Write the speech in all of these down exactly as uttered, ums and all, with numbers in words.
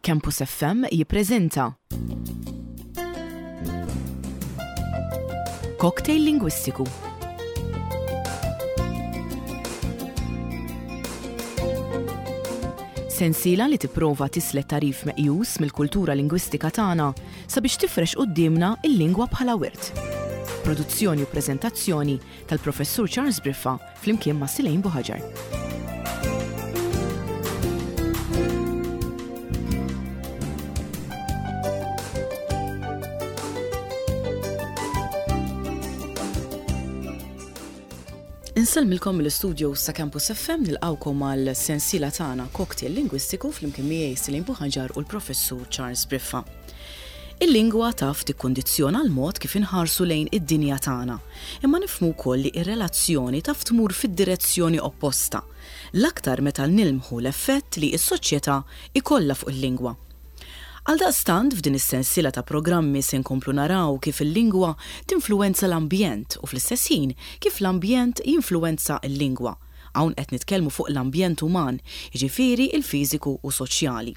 Campus F M jippreżenta Cocktail Lingwistiku. Sensiela li tipprova tislet tagħrif meqjus mill-kultura lingwistika tagħna sabiex tifrex quddiemna il-lingwa bħala wirt. Produzzjoni u preżentazzjoni tal-Professur Charles Briffa flimkien ma' Silejn Buħaġar. Insellmilkom mill-istudio sa' Campus F M, nilqawkom għal sensiela tagħna Cocktail Lingwistiku flimkien miegħi Silejn Buħaġar u l-Professur Charles Briffa. Il-lingwa taf tikkondizzjona l-mod kif inħarsu lejn id-dinja tagħna, imma nifhmu wkoll li r-relazzjoni taf tmur fid-direzzjoni opposta, l-aktar meta nilmħu l-effett li s-soċjetà ikollha fuq il-lingwa. Għaldaqstant, f'din is-sensiela ta' programmi se nkomplu naraw kif il-lingwa tinfluwenza l-ambjent u fl-istess ħin kif l-ambjent jinfluwenza l-lingwa. Hawn qed nitkellmu fuq l-ambjent uman, jiġifieri il-fiżiku u soċjali.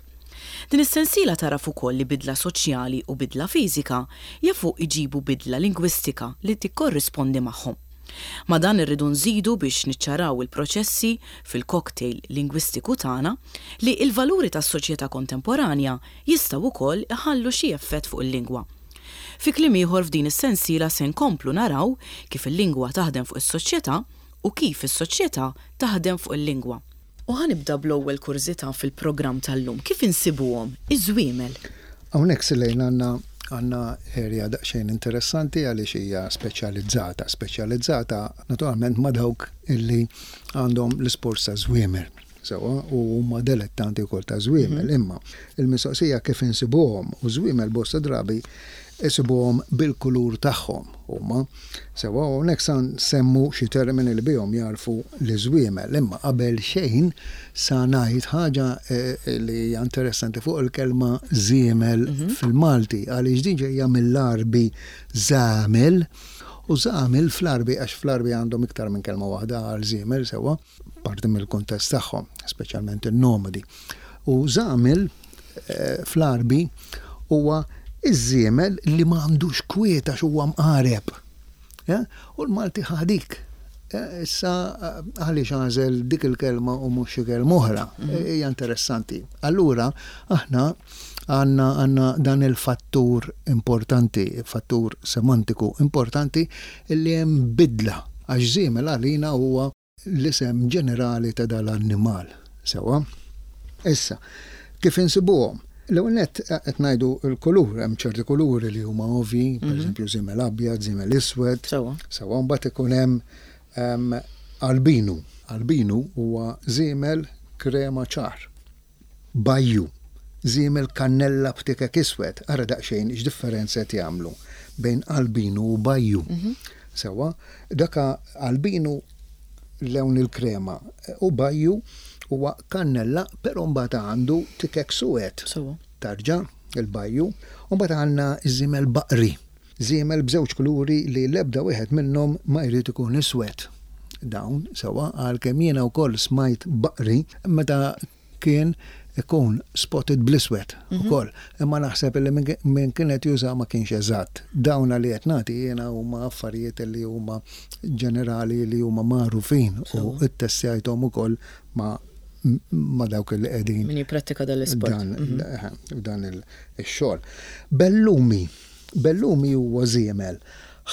Din is-sensiela tagħraf ukoll li bidla soċjali u bidla fiżika jafu iġibu bidla lingwistika li tikkorrispondi magħhom. Ma' dan irridu nżidu, biex niċċaraw il-proċessi fil-cocktail lingwistiku tagħna, li l-valuri tas-soċjetà kontemporanja jistgħu wkoll iħallu xi effett fuq il-lingwa. Fi kliem ieħor, f'din is-sensiela se nkomplu naraw kif il-lingwa taħdem fuq is-soċjetà u kif is-soċjetà taħdem fuq il-lingwa. U ħa nibda bl-ewwel kurżità fil-programm tal-lum. Kif insibuhom iż-żwiemel? Hawnhekk, Silejn, għandna għandna area daqsxejn interessanti għaliex hija speċjalizzata. Speċjalizzata naturalment ma' dawk illi għandhom l-isport ta' żwiemel. Sewwa, u huma dilettanti wkoll ta' żwiemel, imma il-mistoqsija kif insibuhom, u żwiemel bosta drabi isibuhom bil-kulur tagħhom huma. Sewwa, hawnhekk sa nsemmu xi termini li bihom jarfu l-żwiemel, imma qabel xejn sa ngħid ħaġa eh, li hija interessanti fuq il-kelma żiemel fil-Malti, għaliex din ġejja mill-Arbi żamel, u żamel fl-Arbi, għax fl-Arbi għandhom iktar minn kelma waħda għal żiemel, sewwa, parti mill-kuntest tagħhom, speċjalment in-nomadi. U żamel eh, fl-Arbi huwa iż-żiemel li ma għandux kwiet għax huwa mqareb. Ja? U l-Malti ħa dik. Ja, issa eh, għaliex għażel dik il-kelma u mhux xi kelma oħra? Hija interessanti. Allura aħna għandna għandna dan il-fattur importanti, fattur semantiku importanti, illi hemm bidla, għax żiemel għalina huwa l-isem ġenerali ta' dal-annimal. Sewwa? Issa, kif insibuhom? L-ewwel nett qed ngħidu l-kulur, hemm ċerti kuluri li huma ovvi, pereżempju żiemel abjad, żiemel iswed. Sewwa. Sewwa, mbagħad ikun hemm em, albinu. Albinu huwa żiemel krema ċar. Bajju, żiemel kannella b'tikek iswed. Ara daqsxejn x'differenza qed jagħmlu bejn albinu u bajju. Sewwa, daka albinu lewn il-krema u bajju huwa kannella, però mbagħad għandu tikek suwed. Sewwa. Tarġa' il-bajju, u mbagħad għandna iż-żiemel baqri. Żiemel b'żewġ kuluri li l-ebda wieħed minnhom ma jrid ikun iswed. Dawn, sewwa, għalkemm jiena wkoll smajt baqri meta kien ikun spotted bl-iswed ukoll. Imma naħseb li min min kienet juża ma kienx eżatt. Dawna li qed nagħti jiena huma affarijiet li huma ġenerali, li huma magħrufin u ttestjajthom ukoll ma' ma' dawk li qegħdin Min jipprattika dal-isport. dan dan il-xogħol. Bellumi. Bellumi huwa żiemel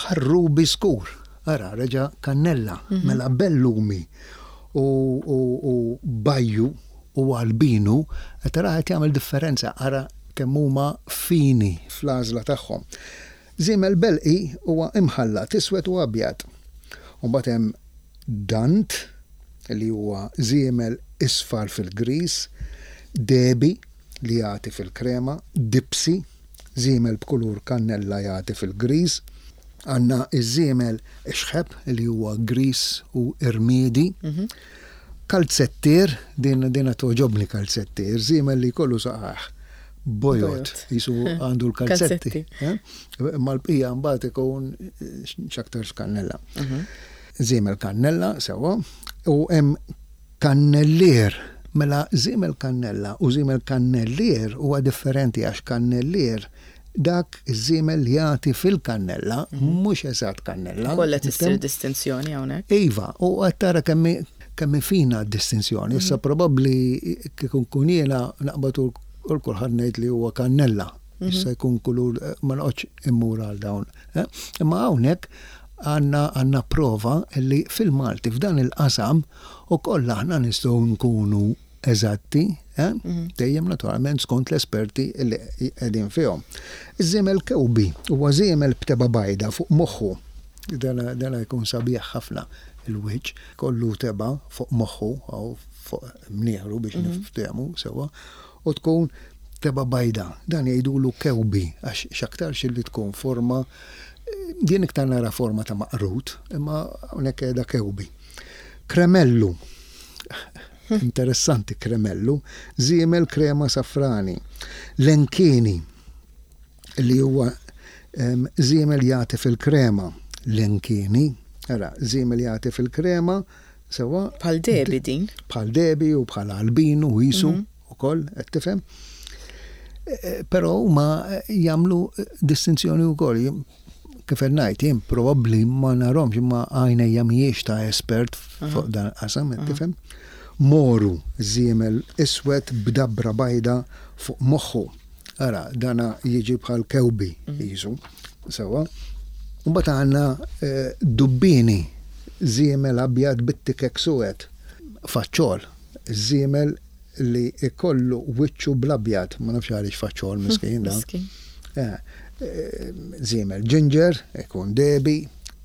ħarrubi skur. Ara, reġa' kannella, mela bellumi u, u, u bajju u albinu qed tara qed jagħmel differenza, ara kemm huma fini fl-għażla tagħhom. Żiemel belqi huwa imħallat iswed u abjad. U mbagħad hemm dant, li huwa żiemel isfar fil-gris, debi li jagħti fil-krema, dipsi, żiemel b'kulur kannella jagħti fil-gris, għandna iż-żiemel xħeb li huwa gris u irmiedi, kalzettier, din dina toġobni kalzettier, żiemel li jkollu saqajh bojod, Bojod. jisu għandu l-kalzetti. Kalzetti. Eh? Ma l-bqija mbagħad ikun x'aktar kannella. Żiemel kannella, sewwa, u hemm kannellier. Mela żiemel kannella u żiemel kannellier huwa differenti, għax kannellier dak iż-żiemel li jagħti fil-kannella, mhux eżatt kannella. Kollha tissir distinzjoni hawnhekk. Iva, u qed tara kemm kemm fina d-distinzjoni. Issa probabbli kieku nkun jiena naqbad u kulħadd ngħid li huwa kannella. Issa jkun kulur, ma noqgħodx immur għal dawn. Imma hawnhekk għandna għandna prova li fil-Malti f'dan il-qasam u kollha aħna nistgħu nkunu eżatti, eh? Dejjem naturalment skont l-esperti li qegħdin fihom. Iż-żiemel kewbi huwa żiemel b'teba bajda fuq moħħu. Dana, dana jkun sabiħ ħafna il-wiċċ, kollu teba fuq moħħu jew fuq mnieħru biex niftehmu sewwa, u tkun teba bajda. Dan jgħidulu kewbi għax x'aktarx li tkun forma, din iktar nara forma ta' maqrut, imma hawnhekk qiegħda kewbi. Kremellu. Interessanti kremellu, żiemel krema safrani. Lenkini, li huwa żiemel jagħti fil-krema. Lenkini, ara, żiemel jagħti fil-krema, sewwa. Bħal debi din. Bħal debi u bħal albinu u jisu ukoll, qed tifhem. Però huma jagħmlu distinzjoni wkoll. Kif qed ngħid, jien probabbli ma narhomx, imma għajnejja mhijiex ta' espert fuq dan il-qasam, qed tifhem. Moru, żiemel iswed b'dabra bajda fuq moħħu. Ara, dana jiġi bħal kewbi jisu, sewwa. Mbagħad għandna dubbini, żiemel abjad bit-tikek suwed. Faċċol, żiemel li ikollu wiċċu bl-abjad, ma nafx għaliex faċċol miskin da. Żiemel ginger, ikun debi,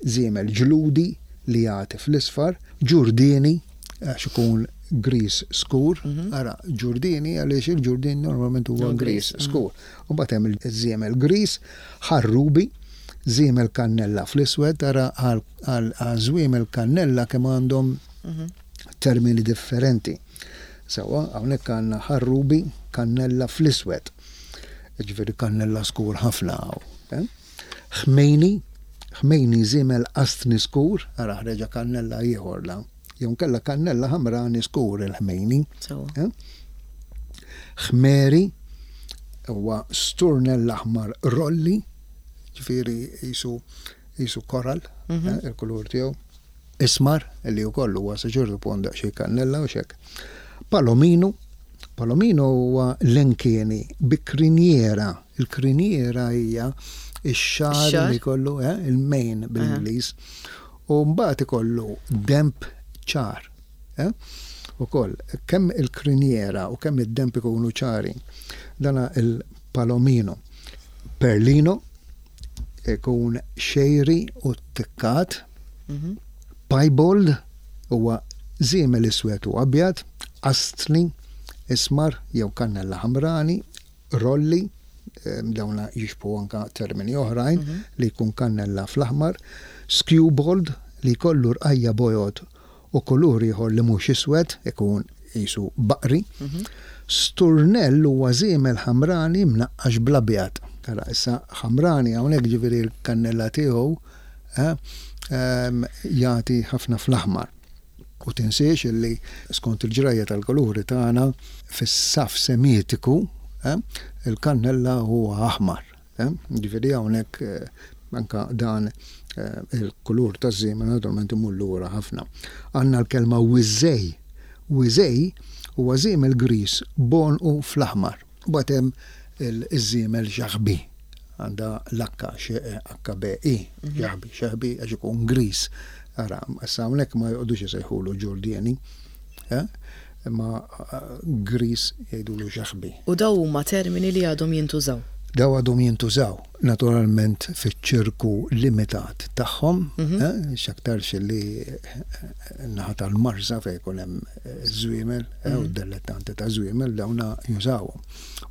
żiemel ġludi li jagħti fl-isfar, ġurdini, għax ikun gris skur, ara ġurdini għaliex il-ġurdin normalment huwa gris skur. U mbagħad hemm iż-żiemel gris, ħarrubi, żiemel kannella fl-iswed, ara għal żwiemel kannella kemm għandhom termini differenti. Sewwa, hawnhekk għandna ħarrubi, kannella fl-iswed. Ġifieri kannella skur ħafna hawn. Ħmejni, ħmejni żiemel qastni skur, ara ħreġa kannella ieħor la. Jew kellha kannella ħamrani skur il-ħmejni. Ħmeri huwa sturnell aħmar rolli, ġifieri jisu jisu koral, il-kulur tiegħu. Ismar, li wkoll huwa sa ċertu punt daqsxejn kannella u xek. Palomino, palomino huwa lenkieni bi kriniera. Il-kriniera hija ix-xagħar li kollu, il-mane bil-Ingliż. U mbagħad ikollu demp ċar. Ukoll kemm il-kriniera u kemm id-demp ikunu ċari. Dana il-palomino. Perlino ikun xejri u tikkat. Piebald huwa żiemel iswed u abjad, astni, ismar jew kannella ħamrani, rolli, dawna jixbu anka termini oħrajn li jkun kannella fl-aħmar, skewbald li jkollu rqajja bojod u kulur ieħor li mhux iswed, ikun jisu baqri, sturnell huwa żiemel ħamrani mnaqqax bl-abjad. Tara issa ħamrani hawnhekk ġifieri l-kannella tiegħu jagħti ħafna fl-aħmar. U tinsiex illi skont il-ġrajja tal-kuluri tagħna fis-saf semitiku il-kannella huwa aħmar. Ġifieri hawnhekk anka dan il-kulur taż-żiemel naturalment imur lura ħafna. Għandna l-kelma wiżej. Wiżej huwa żiemel gris bonqu fl-aħmar. Mbagħad hemm iż-żiemel xaħbi. Għandha l-H H B I, xaħbi, xaħbi għax ikun gris. Ara, issa hawnhekk ma joqgħodux isejħulu ġurdieni, imma gris jgħidulu xaħbi. U daw huma termini li għadhom jintużaw? Daw għadhom jintużaw, naturalment fiċ-ċirku limitat tagħhom, x'aktarx li naħa tal-Marsa fejn ikun hemm żwiemel, u d-dilettanti ta' żwiemel dawna jużawhom.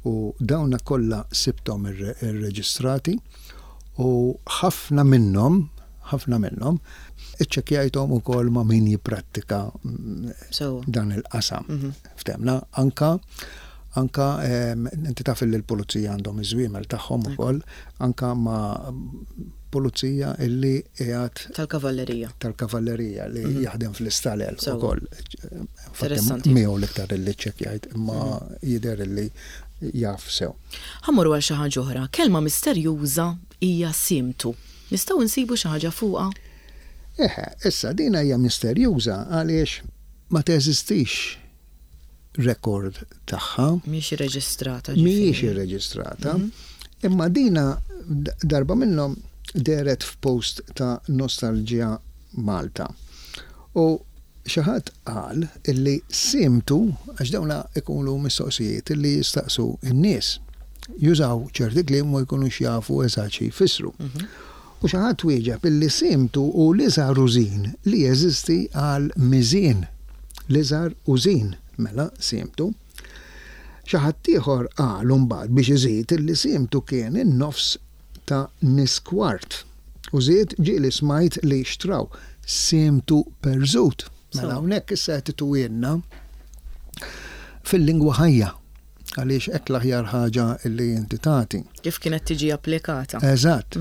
U dawna kollha sibthom irreġistrati u ħafna minnhom, ħafna minnhom iċċekkjajthom ukoll ma' min jipprattika dan il-qasam. Ftemna anka anka inti taf li l-pulizija għandhom iż-żwiemel tagħhom ukoll, anka ma' pulizija illi qiegħed Tal-kavallerija. Tal-kavallerija li jaħdem fl-istalel Sewwa. ukoll. Interessanti. Miegħu l-iktar illi ċċekkjajt, imma jidher illi jaf sew. Ħa mmorru għal xi ħaġa oħra. Kelma misterjuża hija simtu. Nistgħu nsibu xi ħaġa fuqha? Eħe, issa dina hija misterjuża għaliex ma teżistix rekord tagħha. Mhix irreġistrata. Mhijiex ġifieri. irreġistrata, imma dina d- darba minnhom dehret f'post ta' Nostalgia Malta. U xi ħadd qal illi simtu, għax dawna ikunu mistoqsijiet illi jistaqsu n-nies, jużaw ċerti kliem u jkunux jafu eżatt xi jfissru. U xi ħadd wieġeb illi simtu hu l-iżgħar użin li jeżisti għal miżien. L-iżgħar użin, mela simtu. Xi ħadd ieħor qal mbagħad biex iżid illi simtu kien in-nofs ta' niskwart. U żied, ġieli smajt li xtraw simtu perżut. Mela So. hawnhekk issa qed tituwienna fil-lingwa ħajja, għaliex hekk l-aħjar ħaġa illi inti tagħti. Kif kienet tiġi applikata? Eżatt.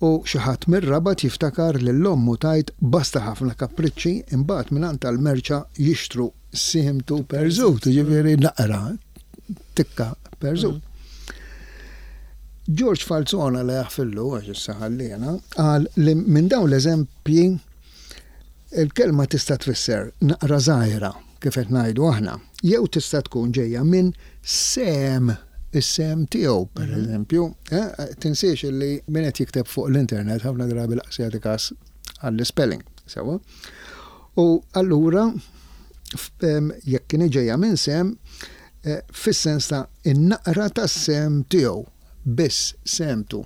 U xi ħadd mir-Rabat jiftakar lil ommu tgħid basta ħafna kapriċċi, imbagħad mingħand tal-merċa jixtru simtu perżut, ġifieri naqra tikka perżut. George Falzona, li jaħfillu għax issa ħallina, qal li minn dawn l-eżempji il-kelma tista' tfisser naqra żgħira, kif qed ngħidu aħna, jew tista' tkun ġejja minn sem, is-sem tiegħu, per eżempju, eh, tinsiex li min qed jikteb fuq l-internet ħafna drabi lanqas jagħti kas għall-spelling, sewwa. U allura f- em, jekk kien ġejja minn sem, eh, fis-sens ta' in-naqra tas-sem tiegħu, biss semtu,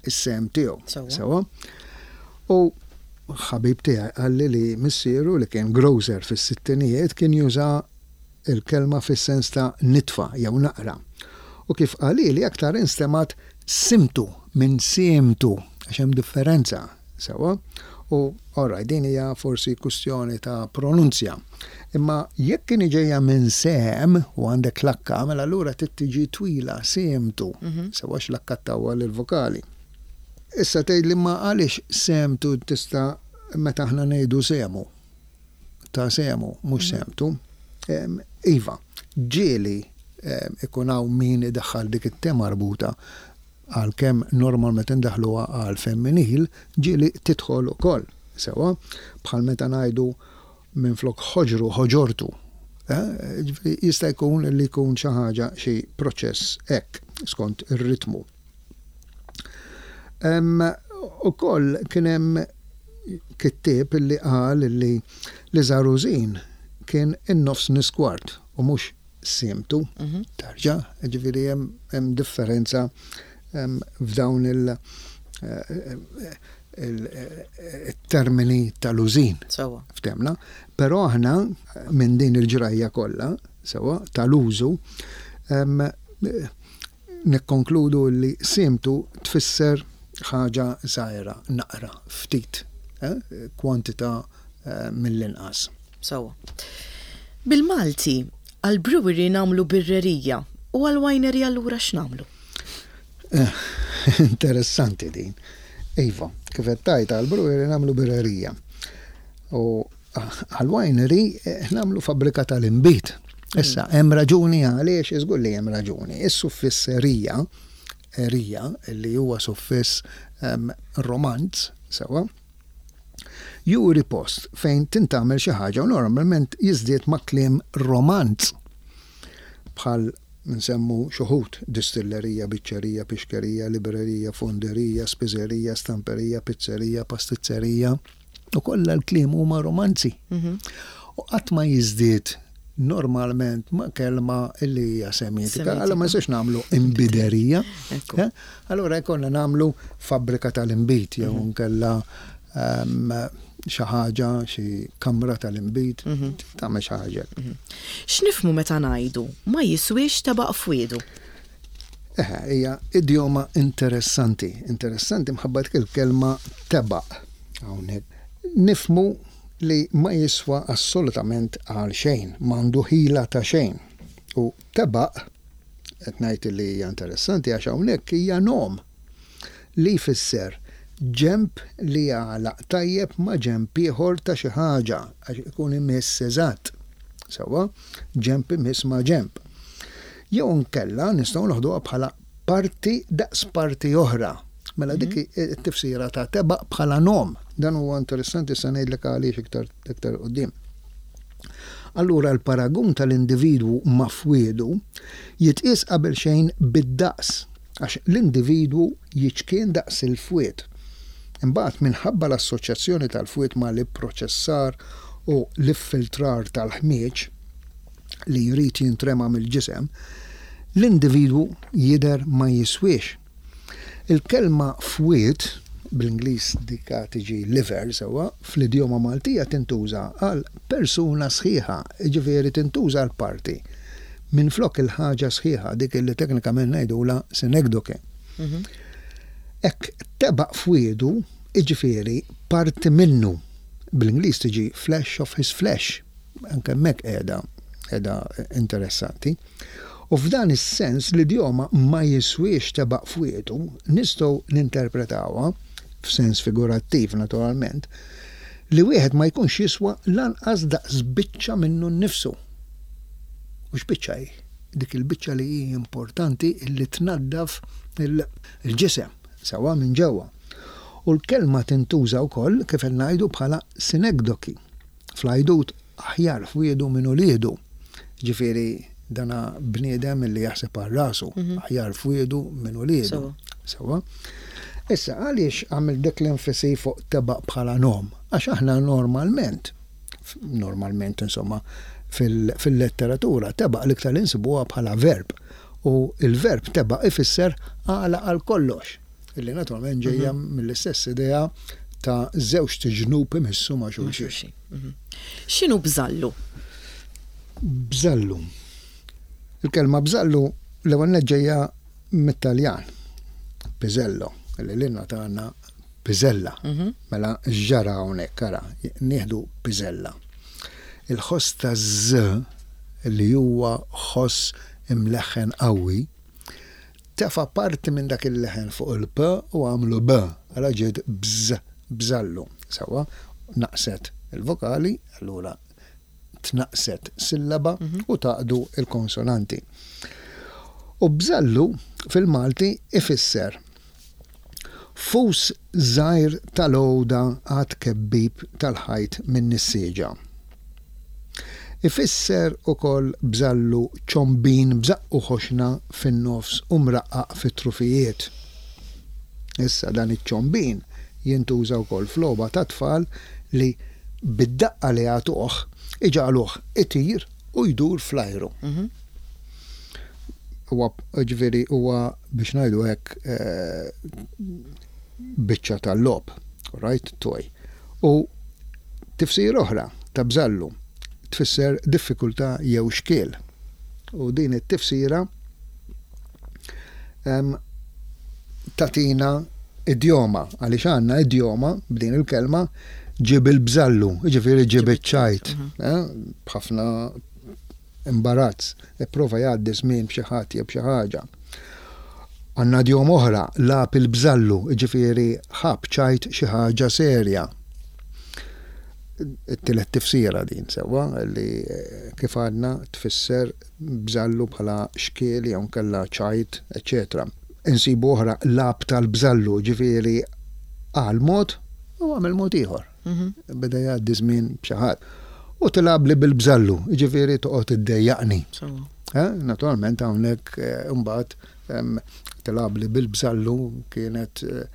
is-sem tiegħu. Sewwa. Sewwa. U ħabib tiegħi qalli li missieru, li kien grocer fis-sittinijiet, kien juża il-kelma fis-sens ta' nitfa jew naqra. U kif qali li aktar instemgħet simtu minn simtu, għax hemm differenza, sewwa. U alright, din hija forsi kwistjoni ta' pronunzja. Imma jekk kien ġejja minn sem u għandek lakka, mela allura trid tiġi twila, simtu, sewwa, x-lakka ttawwal il-vokali. Issa tgħid li ma għaliex semtu tista' meta aħna ngħidu semu. Ta' semu, mhux semtu. Em, Iva, ġieli em, ikun hawn min idaħħal dik it-te marbuta, għalkemm normalment indaħluha għal femminil, ġieli tidħol ukoll. Sewwa, bħal meta ngħidu minn flok ħoġru ħoġortu. Eh, ġifieri jista' jkun li jkun xi ħaġa, xi proċess hekk skont ir-ritmu. Ukoll kien hemm kittieb illi qal li l-iżgħar użin kien in-nofs niskwart u mhux simtu. Tarġa, ġifieri hemm hemm differenza em, f'dawn il- eh, il- il-termini tal-użin. Sewwa. Ftemna, però aħna minn din il-ġrajja kollha, sewwa, tal-użu, em, nikkonkludu li simtu tfisser ħaġa żgħira, naqra, ftit, eh, kwantità eh, mill-inqas. Sewwa. Bil-Malti, għal-brewery nagħmlu birrerija u għal-winery allura x'nagħmlu? Eh, Interessanti din. Iva, kif qed tgħid, għal-brewery nagħmlu birrerija. U għal-winery eh, nagħmlu fabbrika tal-inbid. Issa, hemm raġuni għaliex, iżgur li hemm raġuni. Is-suffiss erija, erija, li huwa suffiss em, romanz, sewwa, juri post fejn tintgħamel xi ħaġa u normalment jiżdied ma' kliem romanz. Bħal nsemmu xi wħud: distillerija, biċċerija, pixkerija, librerija, fonderija, spiżerija, stamperija, pizzerija, pastizzerija. U kollha l-kliem huma romanzi. U qatt ma jiżdied normalment ma' kelma illi hija semitika. Semitika. Allora ma jistax nagħmlu imbiderija. Ekku. Eh? Allora jkollna nagħmlu fabbrika tal-inbid jew nkella em, xi ħaġa, xi kamra tal-inbid, tagħmel xi ħaġa. X'nifhmu meta ngħidu ma jiswiex tebaq f'wiedu? Eħe, hija idjoma interessanti, interessanti mħabba dik il-kelma tebaq hawnhekk. Nifhmu li ma jiswa assolutament għal xejn, m'għandu ħila ta' xejn. U tebaq, qed ngħid li hija interessanti għax hawnhekk hija nom. li jfisser ġemp li jagħlaq tajjeb ma' ġemp ieħor ta' xi ħaġa għax ikun imiss eżatt. Sewwa, ġemp imiss ma' ġemp. Jew nkella nistgħu noħduha bħala parti daqs parti oħra. Mela dik it-tifsira ta' tebaq bħala nom. Dan huwa interessanti, se ngħidlek għaliex iktar iktar quddiem. Allura l-paragun tal-individwu ma' fwiedu jitqies qabel xejn bid-daqs, għax l-individwu jiċkien daqs il-fwied. Imbagħad, minħabba l-assoċjazzjoni tal-fwied ma' l-ipproċessar u l-iffiltrar tal-ħmieġ li jrid jintrema mill-ġisem, l-individwu jidher ma jiswiex. Il-kelma fwied, bl-Ingliż dika tiġi liver, sewwa, fl-idjoma Maltija tintuża għal persuna sħiħa, ġifieri tintuża għal parti. Minn flok il-ħaġa sħiħa, dik li teknikament ngħidula synecdoche. Hekk tebaq fwiedu, iġifieri parti minnu. Bl-Ingliż tiġi flesh of his flesh. Anke hemmhekk qiegħda qiegħda interessanti. U f'dan is-sens l-idjoma "ma jiswiex tebaq fwiedu" nistgħu ninterpretawha f'sens figurattiv naturalment, li wieħed ma jkunx jiswa lanqas daqs biċċa minnu nnifsu. U x'biċċa hi? Dik il-biċċa li hi importanti li tnaddaf il-ġisem sewwa minn ġewwa. U l-kelma tintuża wkoll, kif qed ngħidu, bħala synecdoche. Fl-għajdut "aħjar fwiedu minn uliedu". Ġifieri dana bniedem li jaħseb għal rasu, aħjar fwiedu minn uliedu. Sewwa. Issa, għaliex għamil dik l-enfasi fuq tebaq bħala nom? Għax aħna normalment, normalment insomma, fil-letteratura, tebaq l-iktar insibuha bħala verb. U il-verb tebaq ifisser għala għal kollox. Illi naturalment ġejja mill-istess idea ta' żewġt iġnub imissu ma' xulxin. X'inhu bżallu? Bżallu. Il-kelma bżallu l-ewwel ġejja mit-Taljan. Pisello, li lilna tagħna piżella. Mela x'ġara hawnhekk, ara, nieħdu piżella. Il-ħoss ta' z li huwa ħoss imleħħen qawwi, tefa' parti minn dak il-leħen fuq il-p u għamlu b, għala ġiet bż, bżallu. Sewwa, naqset il-vokali, allura tnaqset sillaba u tgħaqqdu il-konsonanti. U bżallu fil-Malti ifisser fus żgħir tal-għoda għat-tkebbib tal-ħajt minn nissieġa. Ifisser ukoll bżallu ċombin b'żaqqu ħoxna fin-nofs u mraqqaq fit-trufijiet. Issa dan iċ-ċombin jintuża wkoll f'logħba ta' tfal li bid-daqqa li jagħtuh iġagħluh itir u jdur fl-ajru. Huwa ġifieri huwa, biex ngħidu hekk, eh, biċċa tal-logħob, right, toy. U tifsir oħra ta' bżallu tfisser diffikultà jew xkiel. U din it-tifsira em, tatina idjoma, għaliex għandna idjoma b'din il-kelma: "Ġib il-bżallu", ġifieri ġib iċ-ċajt, eh, b'ħafna imbarazz, ipprova jgħaddi żmien b'xi ħadd jew b'xi ħaġa. Għandna idjoma oħra, "lagħab il-bżallu", ġifieri ħab ċajt xi ħaġa serja. It-tielet tifsira din sewwa li eh, kif għadna tfisser bżallu bħala xkiel jew nkella ċajt, eċetera. Insibu oħra, "lagħab tal-bżallu", ġifieri għal mod u għamel mod ieħor. Beda jgħaddi żmien b'xi ħadd. U "tilgħabli bil-bżallu", ġifieri toqgħod iddejjaqni. Sewwa. Eh, Naturalment hawnhekk eh, imbagħad em, "tilgħabli bil-bżallu" kienet eh,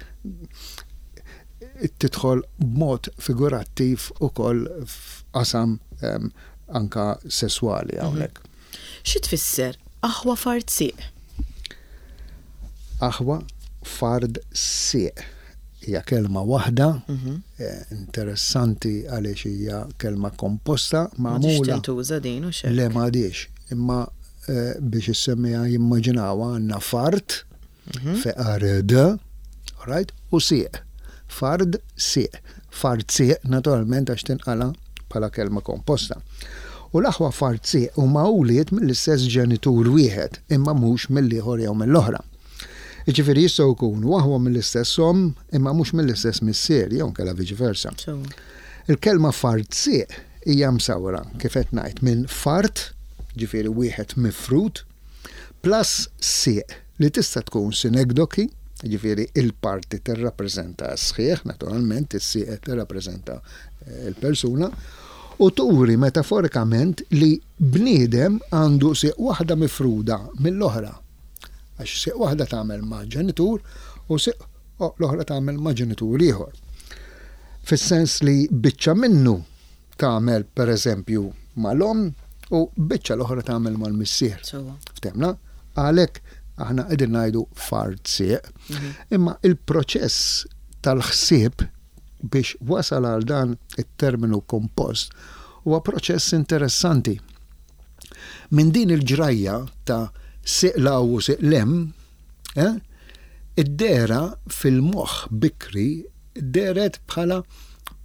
tidħol b'mod figurattiv ukoll f'qasam em, anka sesswali hawnhekk. Xi tfisser aħwa fard sieq? Aħwa fard sieq hija kelma waħda, eh, interessanti għaliex hija kelma komposta M'għadix magħmula tintuża din u xejn. Le, m'għadix, imma eh, biex issemmiha jimmaġinaw għandna fard, F A R D, right, u sieq. Fard sieq. Fard sieq naturalment għax tinqala bħala kelma komposta. U l-aħwa fard sieq huma wlied mill-istess ġenitur wieħed, imma mhux mill-ieħor jew mill-oħra. Jiġifieri jistgħu jkunu aħwa mill-istess omm imma mhux mill-istess missier jew inkella viċi versa. Il-kelma fart sieq hija msawra kif qed ngħid minn fart, ġifieri wieħed mifrut, plus sieq li tista' tkun sinekdoki, ġifieri il-parti tirrappreżenta sħiħ, naturalment is-sieq tirrappreżenta il-persuna, u turi metaforikament li bniedem għandu sieq waħda mifruda mill-oħra. Għax sieq waħda tagħmel ma' ġenitur u sieq l-oħra tagħmel ma' ġenitur ieħor. Fis-sens li biċċa minnu tagħmel pereżempju mal-omm u biċċa l-oħra tagħmel mal-missier. Ftemna? Għalhekk aħna qegħdin ngħidu fart sieq. Imma il-proċess tal-ħsieb biex wasal għal dan it-terminu kompost huwa proċess interessanti. Minn din il-ġrajja ta' sieq 'l hawn u sieq 'l hemm, eh, id-dehra fil-moħħ bikri dehret bħala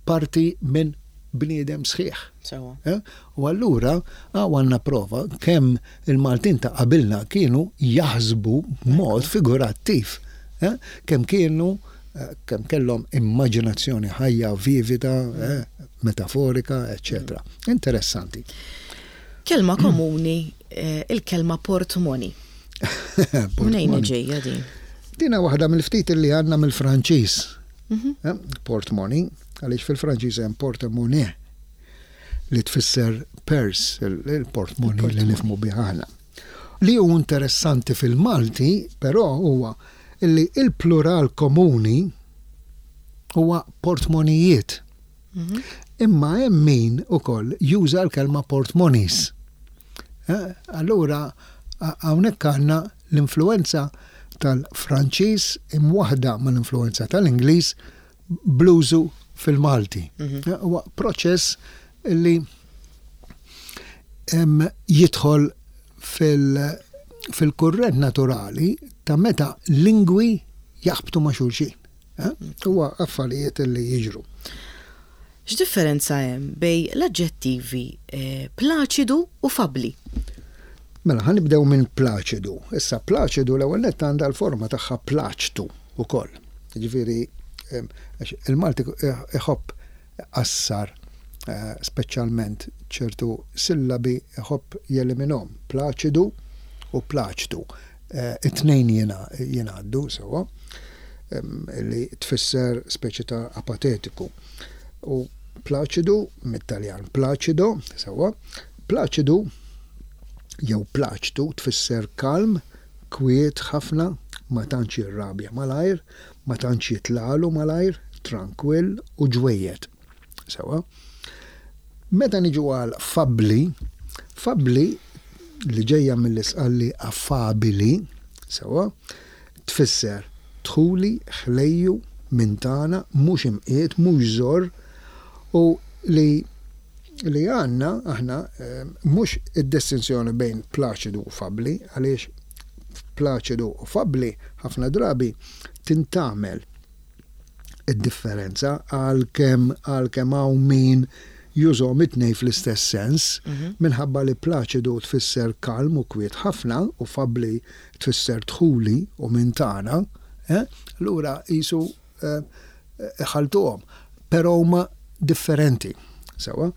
parti minn bniedem sħiħ. Sewwa. Eh? U allura hawn għandna prova kemm il-Maltin ta' qabilna kienu jaħsbu b'mod figurattiv. Eh? Kemm kienu eh, kemm kellhom immaġinazzjoni ħajja, vivida, eh, metaforika, eċċetera. Interessanti. Kelma komuni, eh, il-kelma portmoni. Mnejn ġejja din? Dina waħda mill-ftit li għandna mill-Franċiż. Eh, Portmoni, għaliex fil-Franċiż hemm porte-monnaie li tfisser purse, il-portmoni li nifhmu bih aħna. Li hu interessanti fil-Malti, però huwa li il-plural komuni huwa portmonijiet. Imma hemm min ukoll juża l-kelma portmonis. Eh, Allura hawnhekk għandna l-influenza tal-Franċiż imwaħda mal-influenza tal-Ingliż bl-użu fil-Malti. Eh, Huwa proċess li em, jidħol fil- fil-kurrent naturali ta' meta lingwi jaħbtu ma' xulxin. Eh? Huwa affarijiet li jiġru. X'differenza hemm bejn l-aġġettivi eh, plaċidu u fabli? Mela, ħa nibdew minn plaċidu. Issa plaċidu l-ewwel nett għandha l-forma tagħha plaċtu ukoll. Ġifieri em, għax il-Malti iħobb qassar eh, speċjalment ċertu sillabi iħobb jeliminhom. Plaċidu u plaċtu. Eh, It-tnejn jena jingħaddu sewwa em, li tfisser speċi ta' apatetiku. U plaċidu mit-Taljan placido, sewwa, plaċidu jew plaċtu tfisser kalm, kwiet ħafna, ma tantx jirrabja malajr, ma tantx jitlalu malajr, trankwill u ġwejjed. Sewwa. Meta niġu għal fabli, fabli li ġejja mill-Isqalli affabili, sewwa, tfisser dħuli, ħlejju, minn tagħna, mhux imqiet, mhux żorr, u li li għandna aħna eh, mhux id-distinzjoni bejn plaċidu u fabli, għaliex plaċidu u fabli ħafna drabi tintgħamel id-differenza għal kemm għal kemm hawn min jużhom it-tnejn fl-istess sens, minħabba li plaċidu tfisser kalm u kwiet ħafna u fabli tfisser dħuli u minn tagħna, eh? Allura qisu eh, ħaltuhom, però huma differenti. Sewwa.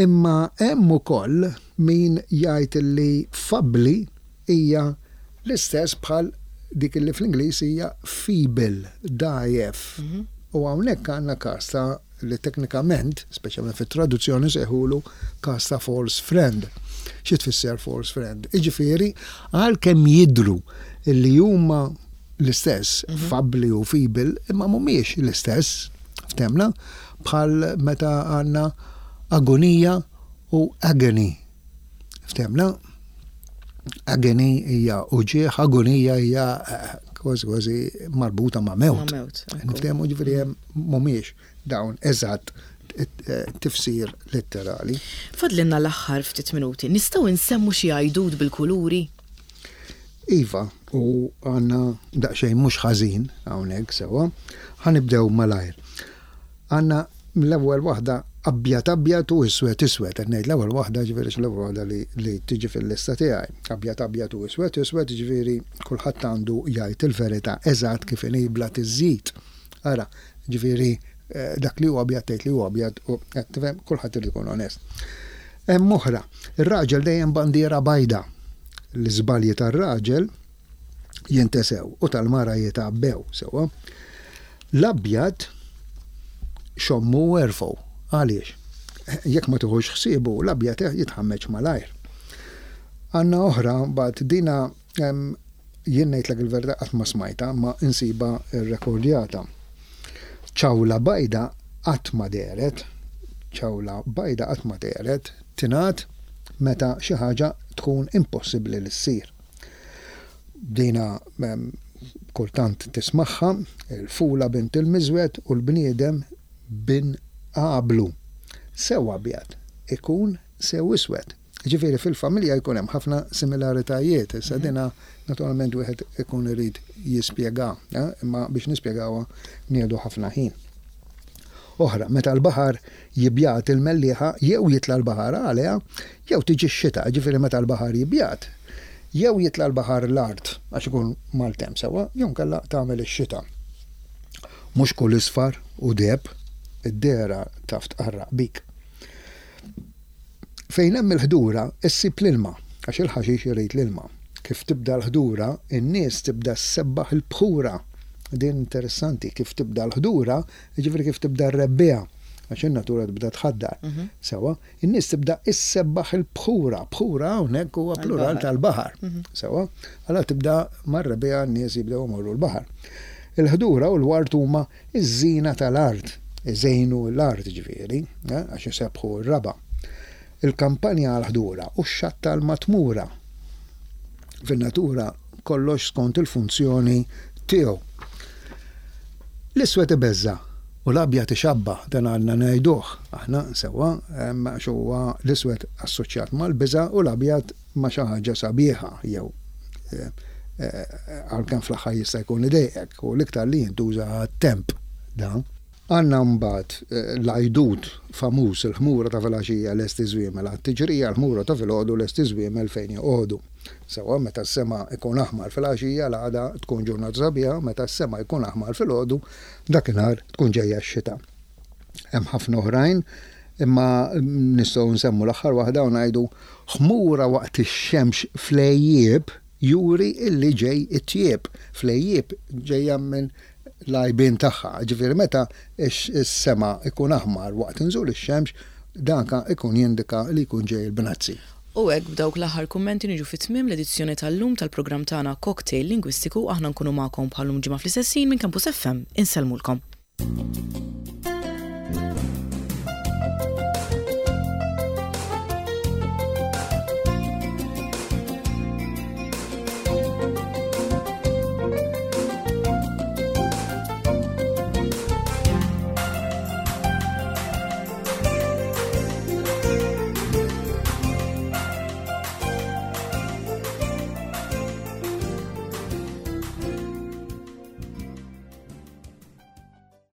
Imma hemm ukoll min jgħid li fabli hija l-istess bħal dik li fl-Ingliż hija feeble, dgħajjef. U hawnhekk għandna każ ta' li teknikament, speċjalment fit-traduzzjoni sejħulu każ ta' false friend. Xi tfisser false friend? Iġifieri għalkemm jidhru li huma l-istess, fabli u feeble, imma mhumiex l-istess, ftemna, bħal meta għandna agonija u agony. Ftemna? Agony hija uġigħ, agonija hija eh, kważi kważi marbuta ma' mewt. Ma' mewt, ekku. Niftehmu ġifieri hemm mhumiex dawn eżatt eh, tifsir letterali. Fadlinna l-aħħar ftit minuti. Nistgħu nsemmu xi għajdut bil-kuluri? Iva, u għandna daqsxejn mhux ħażin hawnhekk sewwa, ħa nibdew malajr. Għandna l-ewwel waħda Abjad abjad u iswed iswed, qed ngħid l-ewwel waħda, ġifieri l-ewwel waħda li, li tiġi fil-lista tiegħi. Abjad abjad u iswed iswed, ġifieri kulħadd għandu jgħid il-verità eżatt kif inhi bla tiżjid. Ara, ġifieri eh, dak li huwa abjad tgħid li huwa abjad u qed tifhem, kulħadd irid ikun onest. Hemm oħra, ir-raġel dejjem bandiera bajda. L-iżbalji tar-raġel jintesew u tal-mara jitgħabbew sewwa. L-abjad xommu u erfgħu. Għaliex? Jekk ma tiħux ħsiebu, l-abjad jitħammeġ malajr. Għandna oħra, but dina em, jien ngħidlek il-verità qatt ma smajta, ma insiba rrekordjata. Ċawla bajda qatt ma dehret, ċawla bajda qatt ma dehret, tingħad meta xi ħaġa tkun impossibbli li ssir. Dina em, kultant tismagħha, il-fula bint il-miżwed u l-bniedem bin qablu. Sew abjad ikun sew iswed. Ġifieri fil-familja jkun hemm ħafna similaritajiet. Issa dina naturalment wieħed ikun irid jispjega, eh, imma biex nispjegawha nieħdu ħafna ħin. Oħra, meta l-baħar jibjat il-mellieħa, jew jitla l-baħar għaliha, jew tiġi x-xita, ġifieri meta l-baħar jibjat, jew jitla l-baħar l-art, għax ikun maltemp sewwa, jew inkella tagħmel ix-xita. Mhux kull isfar hu deheb, id-dehra taf tqarraq bik. Fejn hemm il-ħdura, issib l-ilma, għax il-ħaxix irid l-ilma. Kif tibda l-ħdura, in-nies tibda ssebbaħ il-bħura. Din interessanti, kif tibda l-ħdura, ġifieri kif tibda r-rebbiegħa, għax in-natura tibda tħaddar. Sewwa, in-nies tibda issebbaħ il-bħura. Bħura hawnhekk huwa plural tal-baħar. Sewwa, allura tibda mar-rebbiegħa n-nies jibdew imorru l-baħar. Il-ħdura u l-ward huma iż-żina tal-art, iżejnu l-art ġifieri, eh, għax isebbħu r-raba'. Il-kampanja għal-ħdura u x-xatt għal-matmura. Fin-natura kollox skont il-funzjoni tiegħu. L-iswed ibeżża' u l-abjad ixabba, dan għandna ngħiduh. Aħna sewwa, għax huwa l-iswed assoċjat mal-biża' u l-abjad ma' xi ħaġa sabiħa jew eh, eh, għalkemm fl-aħħar jista' jkun idejqek u l-iktar li jintuża għat-temp dan. Għandna mbagħad eh, l-għajdut famuż, il-ħmura ta' filgħaxija lesti żwiemel għat-tiġrija, l-ħmura ta' filgħodu lesti żwiemel fejn joqogħdu. Sewwa, meta s-sema ikun aħmar filgħaxija, l-għada tkun ġurnata sabiħa, meta s-sema ikun aħmar filgħodu, dakinhar tkun ġejja x-xita. Hemm ħafna oħrajn, imma nistgħu nsemmu l-aħħar waħda u ngħidu ħmura waqt ix-xemx fl-għejjieb juri illi ġej it-tjieb. Fl-għejjieb ġejja minn l-għajbien tagħha. Ġifieri meta is-sema ikun aħmar waqt inżul ix-xemx, danka ikun jindika li jkun ġej il-bnazzi. U hekk b'dawk l-aħħar kummenti niġu fi tmiem l-edizzjoni tal-lum tal-programm tagħna Cocktail Lingwistiku. Aħna nkunu magħkom bħal-lum ġimgħa fl-istess ħin minn Campus F M. Insellmulkom.